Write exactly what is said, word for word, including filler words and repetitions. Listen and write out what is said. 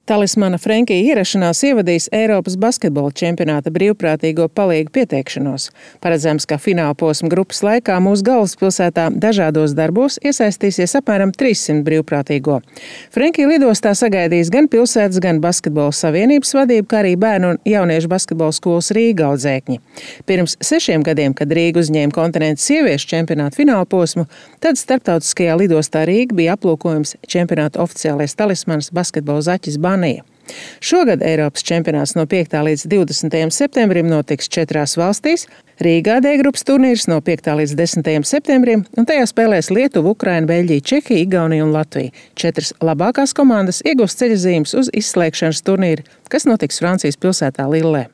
Talismana Frenkija ierašanās ievadīs Eiropas basketbola čempionāta brīvprātīgo palīgu pieteikšanos. Paredzams, ka finālposma grupas laikā mūsu galvaspilsētā dažādos darbos iesaistīsies apmēram trīssimt brīvprātīgo. Frenkija lidostā sagaidīs gan pilsētas, gan basketbola savienības vadību, kā arī bērnu un jauniešu basketbola skolas Rīga audzēkņi. Pirms sešiem gadiem, kad Rīga uzņēma kontinentu sieviešu čempionāta finālposmu, tad starptautiskajā lidostā Rīga bija aplūkojums čempionāta oficiālais talismans basketbola zaķis Banija. Šogad Eiropas čempionāts no piektā līdz divdesmitajam septembrim notiks četrās valstīs. Rīgā D grupas turnīrs no piektā līdz desmitajam septembrim, un tajā spēlēs Lietuva, Ukraina, Beļģija, Čehija, Igaunija un Latvija. Četras labākās komandas iegūs ceļazīmes uz izslēgšanas turnīru, kas notiks Francijas pilsētā Lillē.